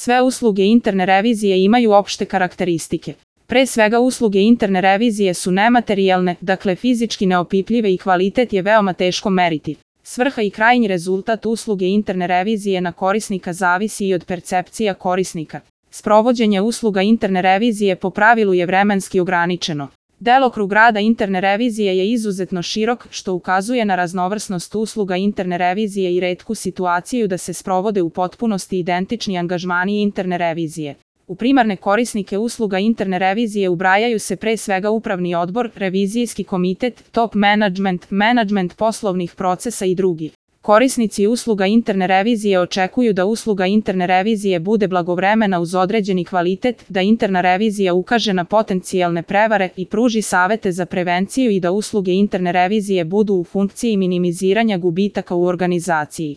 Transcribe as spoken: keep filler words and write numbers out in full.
Sve usluge interne revizije imaju opšte karakteristike. Pre svega usluge interne revizije su nematerijalne, dakle fizički neopipljive i kvalitet je veoma teško meriti. Svrha i krajnji rezultat usluge interne revizije na korisnika zavisi i od percepcija korisnika. Sprovođenje usluga interne revizije po pravilu je vremenski ograničeno. Delokrug rada interne revizije je izuzetno širok, što ukazuje na raznovrsnost usluga interne revizije i retku situaciju da se sprovode u potpunosti identični angažmani interne revizije. U primarne korisnike usluga interne revizije ubrajaju se pre svega upravni odbor, revizijski komitet, top management, management poslovnih procesa i drugi. Korisnici usluga interne revizije očekuju da usluga interne revizije bude blagovremena uz određeni kvalitet, da interna revizija ukaže na potencijalne prevare i pruži savete za prevenciju i da usluge interne revizije budu u funkciji minimiziranja gubitaka u organizaciji.